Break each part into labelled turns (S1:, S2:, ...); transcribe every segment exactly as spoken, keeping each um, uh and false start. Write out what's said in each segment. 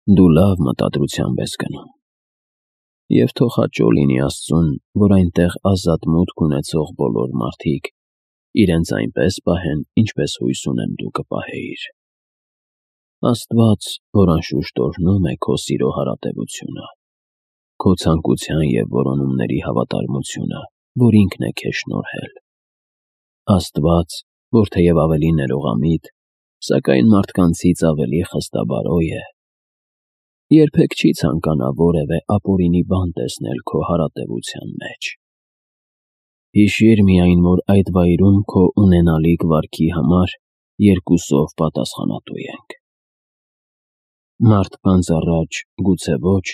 S1: Դու լավ մտադրությամբ ես գնում։ Եվ թող հաճո լինի Աստծուն, որ այնտեղ ազատ մուտք ունեցող բոլոր մարդիկ իրենց այնպես պահեն, ինչպես հույս ունեմ դու կպահեիր։ Աստված, որ անշուշտ օրհնում է քո սիրո հարատևությունը, քո ցանկության և որոնումների հավատարմությունը, որ ինքն է քեզ շնորհել։ Աստված, որ թեև ավելի ներողամիտ, սակայն մարդկանցից ավելի խստաբարոյ է, երբեք չի ցանկանա որևէ ապօրինի բան տեսնել քո հարատևության մեջ։ Հիշիր միայն, որ այդ վայրում քո ունենալիք վարքի համար երկուսով պատասխանատու ենք։ Մարդկանց առաջ գուցե ոչ,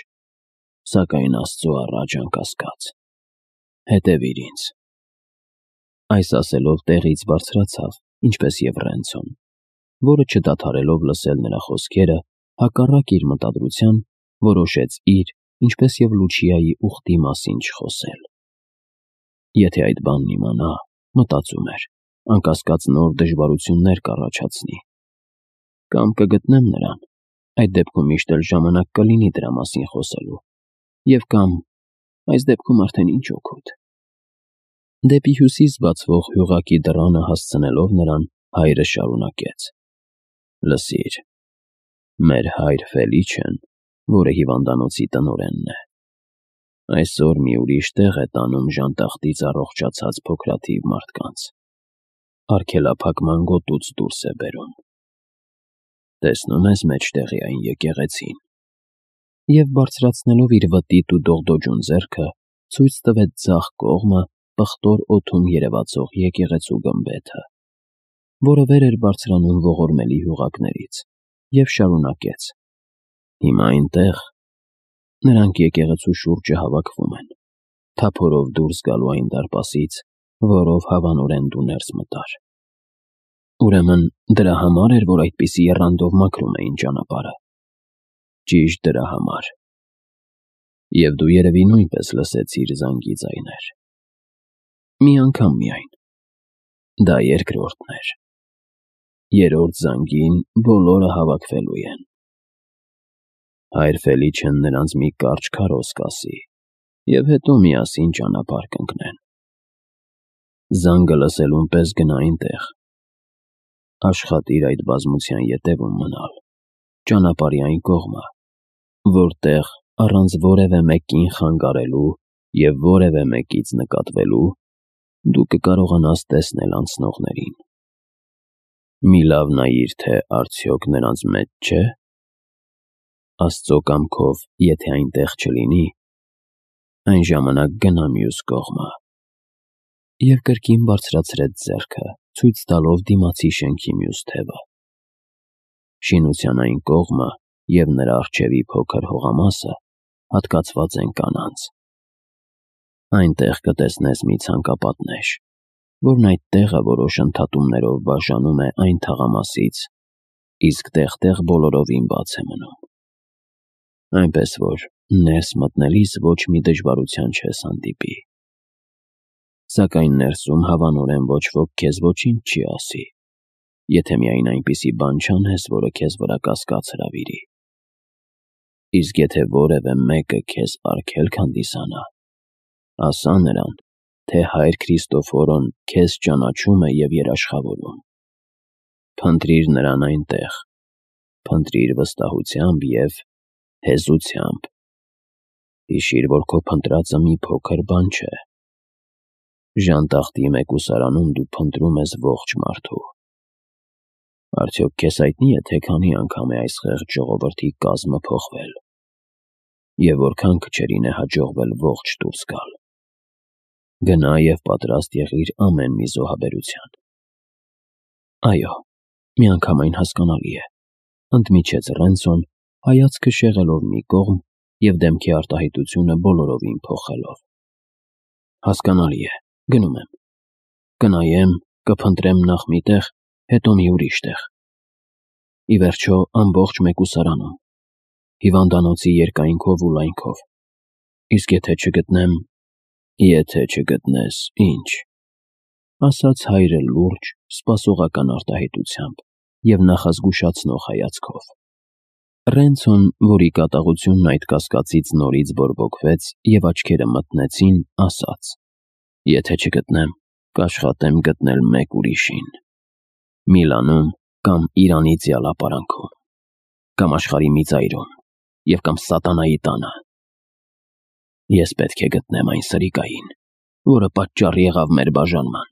S1: սակայն Աստծո առաջ անկասկած։ Հետևիր ինձ։ Այս ասելով տեղից բարձրացավ, ինչպես և Ռենցոն, որը չդադարելով լսել նրա խոսքերը, հակառակ իր մտադրության, որոշեց իր, ինչպես և Լուչիայի ուխտի մասին չխոսել։ Եթե այդ բանն իմանա, մտածում էր, անկասկած նոր դժվարություններ կառաջացնի։ Կամ կգտնեմ նրան, այդ դեպքում միշտ էլ ժամանակ կլինի դրա մասին խոսելու, և կամ այս դեպքում արդեն ինչ օգուտ։ Դեպի հյուսիս բացվող հյուղակի դռանը հասցնելով նրան, հայրը շարունակեց. «Լսիր, մեր հայր Ֆելիչեն, որը հիվանդանոցի տնօրենն է, այսօր մի ուրիշ տեղ է տանում ժանտախտից առողջացած փոքրաթիվ մարդկանց, արգելափակման գոտուց դուրս է բերում։ Տեսնում ես մեջտեղի այն եկեղեցին»։ Եվ բարձրացնելով իր վտիտ ու դողդոջուն ձեռքը, ցույց տվեց ձախ կողմը պղտոր օդում երևացող եկեղեցու գմբեթը, որը վեր էր բարձրանում ողորմելի հյուղակներից, և շարունակեց. «Հիմա այնտեղ նրանք եկեղեցու շուրջը հավաքվում են, թափորով դուրս գալու այն դարպասից, որով հավանորեն դու ներս մտար։ Ուրեմն դրա համար էր, որ այդպիսի եռանդով մաքրում էին ճանապարհը։ Ճիշտ դրա համար։ Եվ դու երևի նույնպես լսեցիր զանգի ձայներ։ Մի անգամ միայն։ Դա երկրորդն էր։ Երրորդ զանգին բոլորը հավաքվելու են։ Հայր Ֆելիչեն նրանց մի կարճ քարոզ կասի, և հետո միասին ճանապարհ կընկնեն։ Զանգը լսելուն պես գնա այնտեղ։ Աշխատիր այդ բազմության ետևում մնալ, ճանապարհի այն կողմը, որտեղ առանց որևէ մեկին խանգարելու և որևէ մեկից նկատվելու դու կկարողանաս տեսնել անցնողներին։ Մի լավ նայիր, թե արդյոք նրանց մեջ չէ։ Աստծո կամքով, եթե այնտեղ չլինի, այն ժամանակ գնա մյուս կողմը։ Եվ կրկին բարձրացրեց ձեռքը, ցույց տալով դիմացի շենքի մյուս թևը։ Շինության այն կողմը և նրա առջևի փոքր հողամասը հատկացված են կանանց։ Այնտեղ կտեսնես մի ցանկապատնեշ, որն այդ տեղը որոշ ընդհատումներով բաժանում է այն թաղամասից, իսկ տեղ-տեղ բոլորովին բաց է մնում։ Այնպես որ ներս մտնելիս ոչ մի դժվարության չես հանդիպի։ Սակայն ներսում հավանորեն ոչ ոք քեզ ոչինչ չի ասի, եթե միայն այնպիսի բան չանես, որը քեզ վրա կասկած հրավիրի։ Իսկ եթե որևէ մեկը քեզ արգելք հանդիսանա, ասա նրան, թե հայր Քրիստոֆորոն քեզ ճանաչում է և երաշխավորում։ Փնտրիր նրան այնտեղ, փնտրիր վստահությամբ և հեզությամբ։ Հիշիր, որ քո փնտրածը մի փոքր բան չէ։ Ժանտախտի մեկուսարանում դու փնտրում ես ողջ մարդու։ Արդյոք քեզ հայտնի է, թե քանի անգամ է այս խեղճ ժողովրդի կազմը փոխվել, և որքան քչերին է հաջողվել ողջ դուրս գալ։ Գնա և պատրաստ եղիր ամեն մի զոհաբերության։ Այո, միանգամայն հասկանալի է, ընդմիջեց Ռենցոն, հայացքը շեղելով մի կողմ և դեմքի արտահայտությունը բոլորովին փոխելով։ Հասկանալի է, գնում եմ։ Կնայեմ, կփնտրեմ նախ մի տեղ, հետո մի ուրիշ տեղ։ Ի վերջո, ամբողջ մեկուսարանում, հիվանդանոցի երկայնքով ու լայնքով։ Իսկ եթե չգտնեմ… Եթե չգտնես, ի՞նչ, ասաց հայրը լուրջ, սպասողական արտահայտությամբ և նախազգուշացնող հայացքով։ Ռենցոն, որի կատաղությունն այդ կասկածից նորից բորբոքվեց և աչքերը մթնեցին, ասաց. «Եթե չգտնեմ, կաշխատեմ գտնել մեկ ուրիշին, Միլանում կամ Իրանի ձիալապարանքում, կամ աշխարհի մի ծայրում և կամ սատանայի տանը։ Ես պետք է գտնեմ այն սրիկային, որը պատճառ եղավ մեր բաժանման,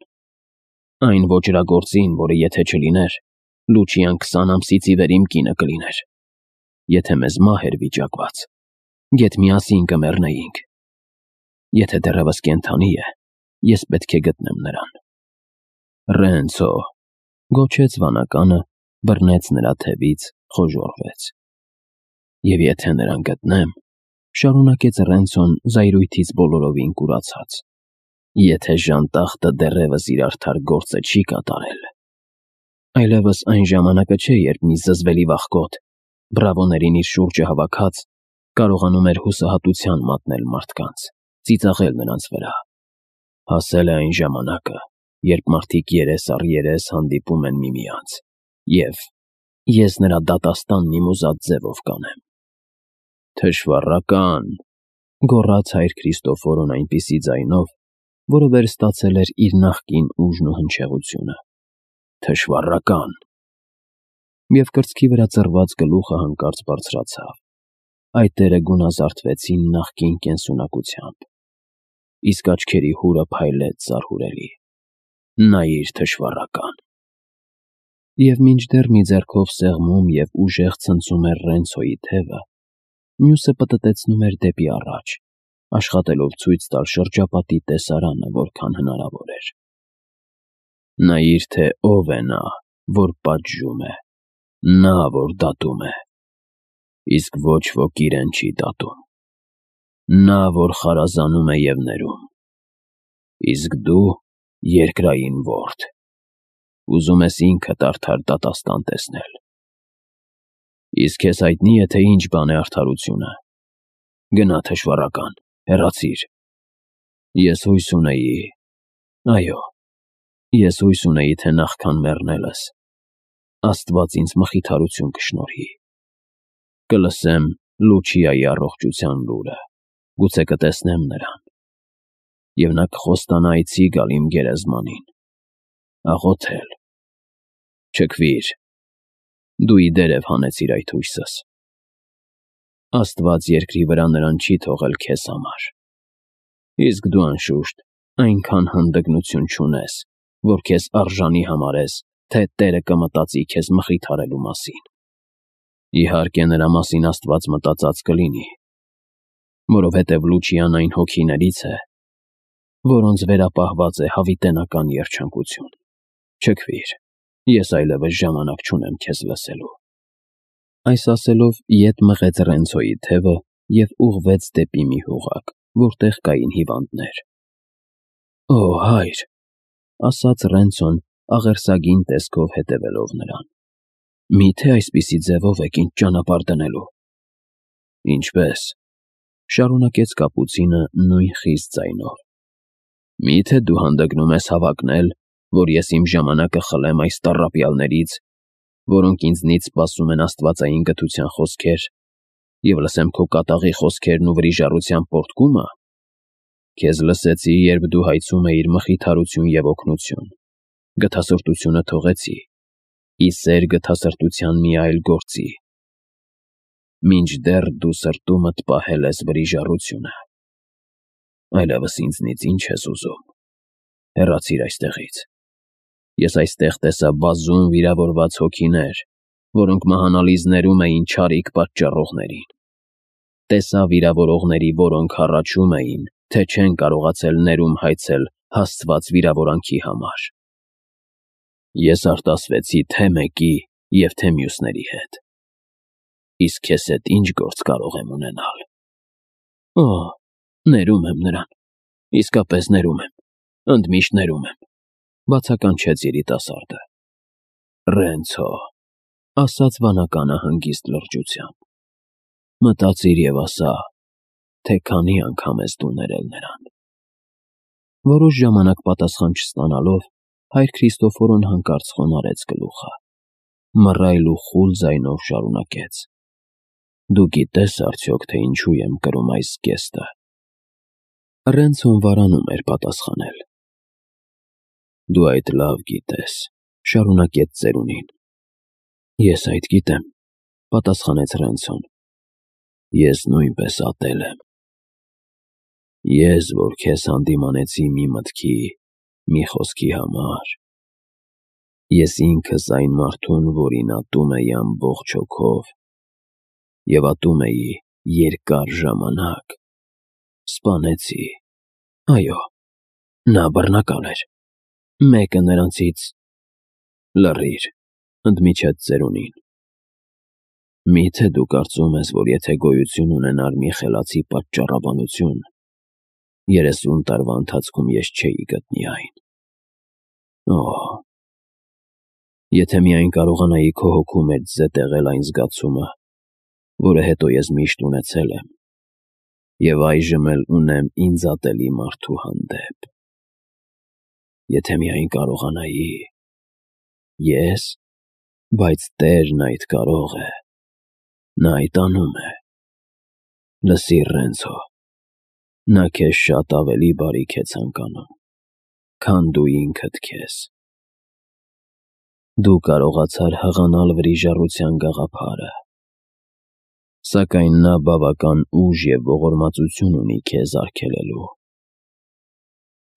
S1: այն ոճրագործին, որը եթե չլիներ, Լուչիան քսան ամսից ի վեր իմ կինը կլիներ։ Եթե մեզ մահ էր վիճակված, գեթ միասին կմեռնեինք։ Եթե դեռևս կենդանի է, ես պետք է գտնեմ նրան»։ «Ռենցո», գոչեց վանականը, բռնեց նրա թևից, խոժոռվեց։ «Եվ եթե նրան գտնեմ», շարունակեց Ռենցոն զայրույթից բոլորովին կուրացած, «եթե ժանտախտը դեռևս իր արդար գործը չի կատարել, այլևս այն ժամանակը չէ, երբ մի զզվելի վախկոտ, բրավոներին իր շուրջը հավաքած, կարողանում էր հուսահատության մատնել մարդկանց, ծիծաղել նրանց վրա։ Հասել է այն ժամանակը, երբ մարդիկ երես առ երես հանդիպում են միմյանց, և ես նրա դատաստանն իմ ուզած ձևով կանեմ»։ «Թշվառակա՛ն», գոռաց հայր Քրիստոֆորոն այնպիսի ձայնով, որը վերստացել էր իր նախկին ուժն ու հնչեղությունը, «թշվառակա՛ն»։ Եվ կրծքի վրա ծռված գլուխը հանկարծ բարձրացավ, այտերը գունազարդվեցին նախկին կենսունակությամբ, իսկ աչքերի հուրը փայլեց զարհուրելի։ «Նայիր, թշվառակա՛ն»։ Եվ մինչդեռ մի ձեռքով սեղմում և ուժեղ ցնցում էր Ռենցոյի թևը, մյուսը պտտեցնում էր դեպի առաջ, աշխատելով ցույց տալ շրջապատի տեսարանը որքան հնարավոր էր։ «Նայիր, թե ով է նա, որ պատժում է, նա, որ դատում է, իսկ ոչ ոք իրեն չի դատում, նա, որ խարազանում է և ներում, իսկ դու երկրային որդ, ուզում ես ինքդ արդար դատաստան տեսնել։ Իսկ քեզ հայտնի է, թե ինչ բան է արդարությունը։ Գնա, թշվառակա՛ն, հեռացիր։ Ես հույս ունեի, այո, ես հույս ունեի, թե նախքան մեռնելս Աստված ինձ մխիթարություն կշնորհի, կլսեմ Լուչիայի առողջության լուրը, գուցե կտեսնեմ նրան, և նա կխոստանա այցի գալ իմ գերեզմանին, աղոթել։ Չքվիր, դու ի դերև հանեցիր այդ հույսս։ Աստված երկրի վրա նրան չի թողել քեզ համար, իսկ դու, անշուշտ, այնքան հանդգնություն չունես, որ քեզ արժանի համարես, թե Տերը կմտածի քեզ մխիթարելու մասին։ Իհարկե, նրա մասին Աստված մտածած կլինի, որովհետև Լուչիան այն հոգիներից է, որոնց վերապահված է հավիտենական երջանկություն։ Չքվիր, ես այլևս ժամանակ չունեմ քեզ լսելու։ Այս ասելով ետ մղեց Ռենցոյի թևը և ուղղվեց դեպի մի հողակ, որտեղ կային հիվանդներ։ «Օ, հայր», ասաց Ռենցոն, աղերսագին տեսքով հետևելով նրան, «միթե այսպիսի ձևով եք ինձ ճանապարհ դնելու»։ «Ինչպե՞ս», շարունակեց կապուցինը նույն խիստ ձայնով, «միթե դու հանդգնում ես հավակնել, որ ես իմ ժամանակը խլեմ այս տառապյալներից, որոնք ինձնից սպասում են աստվածային գթության խոսքեր, և լսեմ քո կատաղի խոսքերն ու վրիժառության պոռթկումը։ Քեզ լսեցի, երբ դու հայցում էիր մխիթարություն և օգնություն, գթասրտությունը թողեցի, ի սեր գթասրտության մի այլ գործի, մինչդեռ դու սրտումդ պահել ես վրիժառությունը։ Այլևս ինձնից ի՞նչ ես ուզում։ Հեռացիր այստեղից։ Ես այստեղ տեսա բազում վիրավորված հոգիներ, որոնք մահանալիզներում էին չարիք պատճառողներին։ Տեսա վիրավորողների, որոնք հառաչում էին, թե չեն կարողացել ներում հայցել հասցված վիրավորանքի համար։ Ես արտասվեցի թե մեկի և թե մյուսների հետ։ Իսկ քեզ հետ ի՞նչ գործ կարող եմ ունենալ։ Օ, ներում եմ նրան, իսկապես ներում եմ, ընդմիշտ ներում եմ, բացականչեց երիտասարդը։ Ռենցո, ասաց վանականը հանգիստ լրջությամբ, մտածիր և ասա, թե քանի անգամ ես դու ներել նրան։ Որոշ ժամանակ պատասխան չստանալով, հայր Քրիստոֆորոն հանկարծ խոնարհեց գլուխը, մռայլ ու խուլ ձայնով շարունակեց. Դու գիտես արդյոք, թե ինչու եմ կրում այս զգեստը։ Ռենցոն վարանում էր պատասխանել։ Դու այդ լավ գիտես, շարունակեց ծերունին։ Ես այդ գիտեմ, պատասխանեց Ռենցոն։ Ես նույնպես ատել եմ։ Ես, որ քեզ հանդիմանեցի մի մտքի, մի խոսքի համար։ Ես ինքս այն մարդուն, որին ատում էի ամբողջ հոգով, և ատում էի երկար ժամանակ, սպանեցի։ Այո, նա բռնակալ էր։ Մեկը նրանցից… Լռիր, ընդմիջեց ծերունին։ Մի՞թե դու կարծում ես, որ եթե գոյություն ունենար մի խելացի պատճառաբանություն, երեսուն տարվա ընթացքում ես չէի գտնի այն։ Օհ… Եթե միայն կարողանայի քո հոգու մեջ զետեղել այն զգացումը, որը հետո ես միշտ ունեցել եմ, և այժմ էլ ունեմ ինձ ատելի մարդու հանդեպ։ Եթե միայն կարողանայի… Ես… Բայց Տերն այդ կարող է… Նա այդ անում է։ Լսիր, Ռենցո, նա քեզ շատ ավելի բարիք է ցանկանում, քան դու ինքդ քեզ։ Դու կարողացար հղանալ վրիժառության գաղափարը, սակայն նա բավական ուժ և ողորմածություն ունի քեզ արգելելու։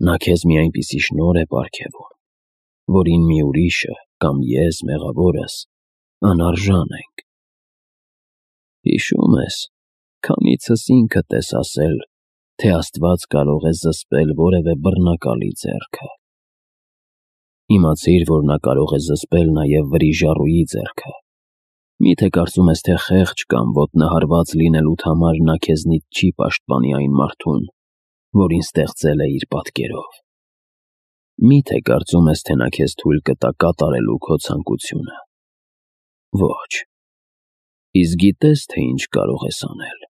S1: Նա քեզ մի այնպիսի շնորհ է պարգևում, որին մի ուրիշը կամ ես, մեղավորս, անարժան ենք։ Հիշո՞ւմ ես, քանիցս ինքդ ես ասել, թե Աստված կարող է զսպել որևէ բռնակալի ձեռքը։ Իմացիր, որ նա կարող է զսպել նաև վրիժառուի ձեռքը։ Մի՞թե կարծում ես, թե խեղճ կամ ոտնահարված լինելուդ համար նա քեզնից չի պաշտպանի այն մարդուն, որին ստեղծել է իր պատկերով։ Մի՞թե կարծում ես, թե նա քեզ թույլ կտա կատարելու քո ցանկությունը։ Ոչ։ Իսկ գիտես, թե ինչ կարող ես անել։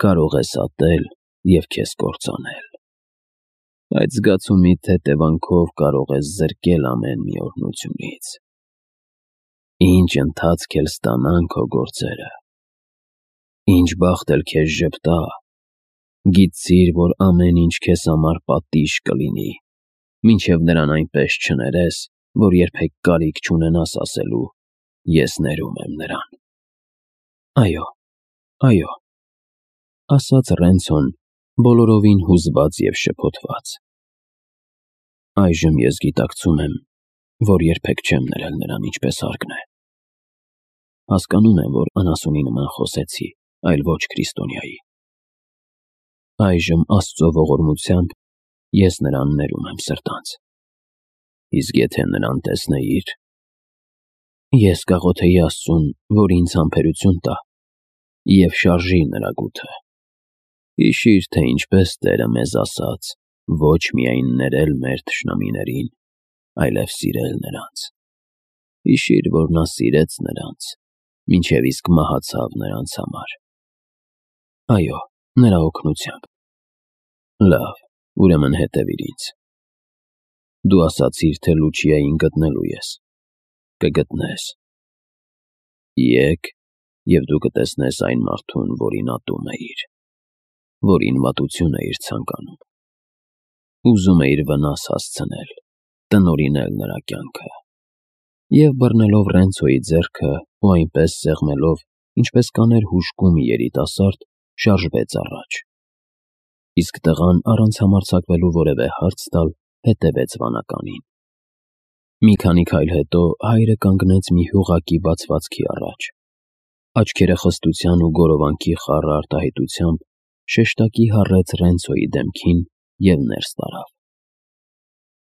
S1: Կարող ես ատել և քեզ կործանել։ Այդ զգացումիդ հետևանքով կարող ես զրկել ամեն մի օրհնությունից։ Ինչ ընթացք էլ ստանան քո գործերը, ինչ բախտ էլ քեզ ժպտա, գիտիր, որ ամեն ինչ քեզ համար պատիժ կլինի, մինչև նրան այնպես չներես, որ երբեք կարիք չունենաս ասելու. «Ես ներում եմ նրան»։ Այո, այո, ասաց Ռենցոն, բոլորովին հուզված և շփոթված։ Այժմ ես գիտակցում եմ, որ երբեք չեմ ներել նրան ինչպես հարկն է։ Հասկանում եմ, որ անասունի նման խոսեցի, այլ ոչ քրիստոնյայի։ Այժմ Աստծո ողորմությամբ ես նրան ներում եմ սրտանց։ Իսկ եթե նրան տեսնեիր… Ես կաղոթեի Աստծուն, որ ինձ համբերություն տա և շարժի նրա գութը։ Հիշիր, թե ինչպես Տերը մեզ ասաց ոչ միայն ներել մեր թշնամիներին, այլև սիրել նրանց։ Հիշիր, որ նա սիրեց նրանց, մինչև իսկ մահացավ նրանց համար։ Այո, նրա օգնությամբ։ Լավ, ուրեմն հետևիր ինձ։ Դու ասացիր, թե Լուչիային գտնելու ես։ Կգտնես։ Եկ, և դու կտեսնես այն մարդուն, որին ատում էիր, որին վատություն էիր ցանկանում։ Ուզում էիր վնաս հասցնել, տնօրինել նրա կյանքը։ Եվ բռնելով Ռենցոյի ձեռքը ու այնպես սեղմելով, ինչպես կաներ հուժկու մի երիտասարդ, շարժվեց առաջ։ Իսկ տղան, առանց համարձակվելու որևէ հարց տալ, հետևեց վանականին։ Մի քանի քայլ հետո հայրը կանգնեց մի հյուղակի բացվածքի առաջ։ Աչքերը խստության ու գորովանքի խառը արտահայտությամբ շեշտակի հառեց Ռենցոյի դեմքին և ներս տարավ։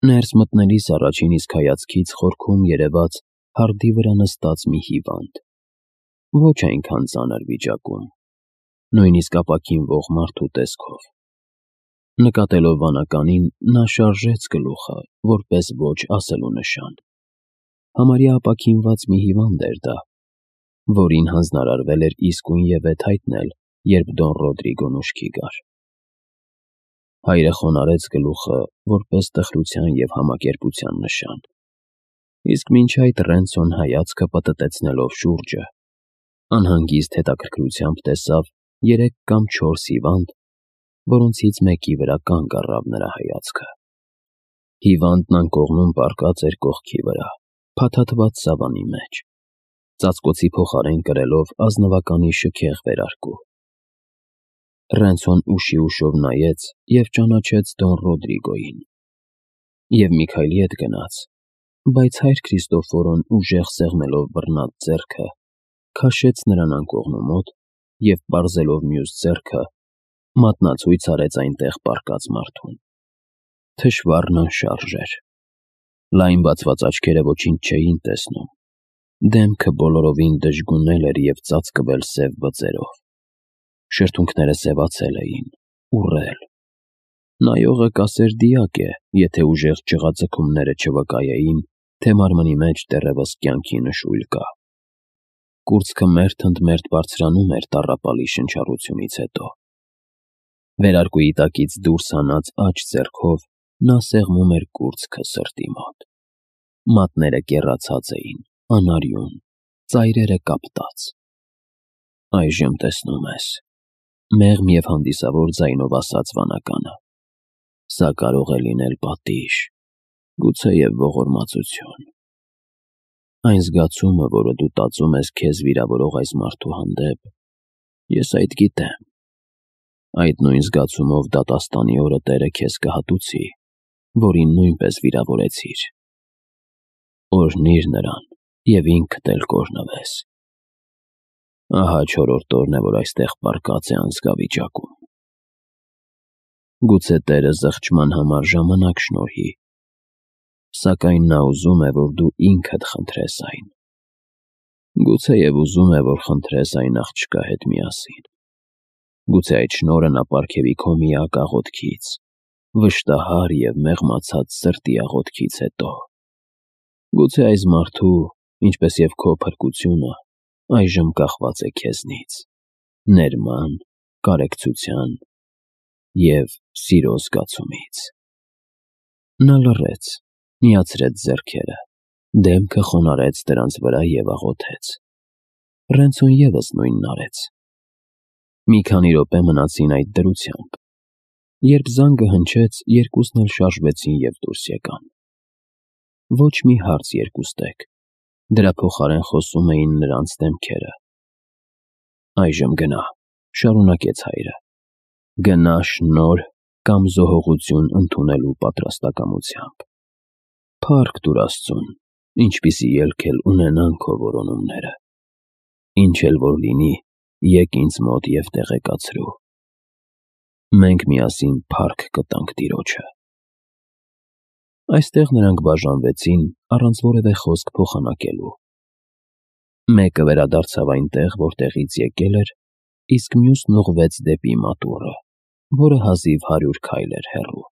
S1: Ներս մտնելիս առաջին իսկ հայացքից խորքում երևաց հարդի վրա նստած մի հիվանդ, ոչ այնքան ծանր վիճակում, նույնիսկ ապաքինվող մարդու տեսքով։ Նկատելով վանականին, նա շարժեց գլուխը, որպես ոչ ասելու նշան։ Համարյա ապաքինված մի հիվանդ էր դա, որին հանձնարարվել էր իսկույնևեթ հայտնել, երբ Դոն Ռոդրիգոն ուշքի գար։ Հայրը խոնարհեց գլուխը, որպես տխրության և համակերպության նշան։ Իսկ մինչ այդ Ռենցոն հայացքը պտտեցնելով շուրջը, Անհանգիստ հետաքրքրությամբ տեսավ երեք կամ չորս հիվանդ, որոնցից մեկի վրա կանգ առավ նրա հայացքը։ Հիվանդն անկողնում պառկած էր կողքի վրա, փաթաթված սավանի մեջ, ծածկոցի փոխարեն կրելով ազնվականի շքեղ վերարկու։ Ռենցոն ուշի ուշով նայեց և ճանաչեց Դոն Ռոդրիգոյին և Միքայելի հետ գնաց, բայց հայր Քրիստոֆորոն ուժեղ սեղմելով բռնած ձեռքը, քաշեց նրան անկողնու մոտ և, պարզելով մյուս ձեռքը, մատնացույց արեց այնտեղ պառկած մարդուն։ Թշվառն անշարժ էր։ Լայն բացված աչքերը ոչինչ չէին տեսնում, դեմքը բոլորովին դժգունել էր և ծածկվել սև բծերով, շրթունքները սևացել էին, ուռել։ Նայողը կասեր դիակ է, եթե ուժեղ ճղաձգումները չվկայեին, թե մարմնի մեջ դեռևս կյանքի նշույլ կա։ Կուրծքը մերթ ընդ մերթ բարձրանում էր տառապալի շնչառությունից հետո։ Վերարկուի տակից դուրս հանած աջ ձեռքով նա սեղմում էր կուրծքը սրտի մոտ։ Մատները կեռացած էին, անարյուն, ծայրերը կապտած։ Այժմ տեսնում ես, մեղմ և հանդիսավոր ձայնով ասաց վանականը, սա կարող է լինել պատիժ, գուցեև ողորմածություն։ Այն զգացումը, որը դու տածում ես քեզ վիրավորող այս մարդու հանդեպ, ես այդ գիտեմ։ Այդ նույն զգացումով դատաստանի օրը Տերը քեզ կհատուցի, որին նույնպես վիրավորեցիր։ Օրհնիր նրան և ինքդ էլ կօրհնվես։ Ահա չորրորդ օրն է, որ այստեղ պառկած է անզգա վիճակում։ Գուցե Տերը զղջման համար ժամանակ շնորհի, սակայն նա ուզում է, որ դու ինքդ խնդրես այն։ Գուցեև ուզում է, որ խնդրես այն աղջկա հետ միասին։ Գուցե այդ շնորհը նա պարգևի քո միակ աղոթքից, վշտահար և մեղմացած սրտի աղոթքից հետո։ Գուցե այս մարդու, ինչպես և քո փրկությունը, այժմ կախված է քեզնից, ներման, կարեկցության և սիրո զգացումից։ Նա լռեց, միացրեց ձեռքերը, դեմքը խոնարհեց դրանց վրա և աղոթեց։ Ռենցոն ևս նույնն արեց։ Մի քանի րոպե մնացին այդ դրությամբ։ Երբ զանգը հնչեց, երկուսն էլ շարժվեցին և դուրս եկան։ Ոչ մի հարց երկուստեք, դրա փոխարեն խոսում էին նրանց դեմքերը։ Այժմ գնա, շարունակեց հայրը, գնա շնորհ կամ զոհողություն ընդունելու պատրաստակամությամբ։ Փառք տուր Աստծուն, ինչպիսի ելք էլ ունենան քո որոնումները։ Ինչ էլ որ լինի, եկ ինձ մոտ և տեղեկացրու։ Մենք միասին փառք կտանք Տիրոջը։ Այստեղ նրանք բաժանվեցին առանց որևէ խոսք փոխանակելու։ Մեկը վերադարձավ այնտեղ, որտեղից եկել էր, իսկ մյուսն ուղղվեց դեպի մատուռը, որը հազիվ հարյուր քայլ էր հեռու։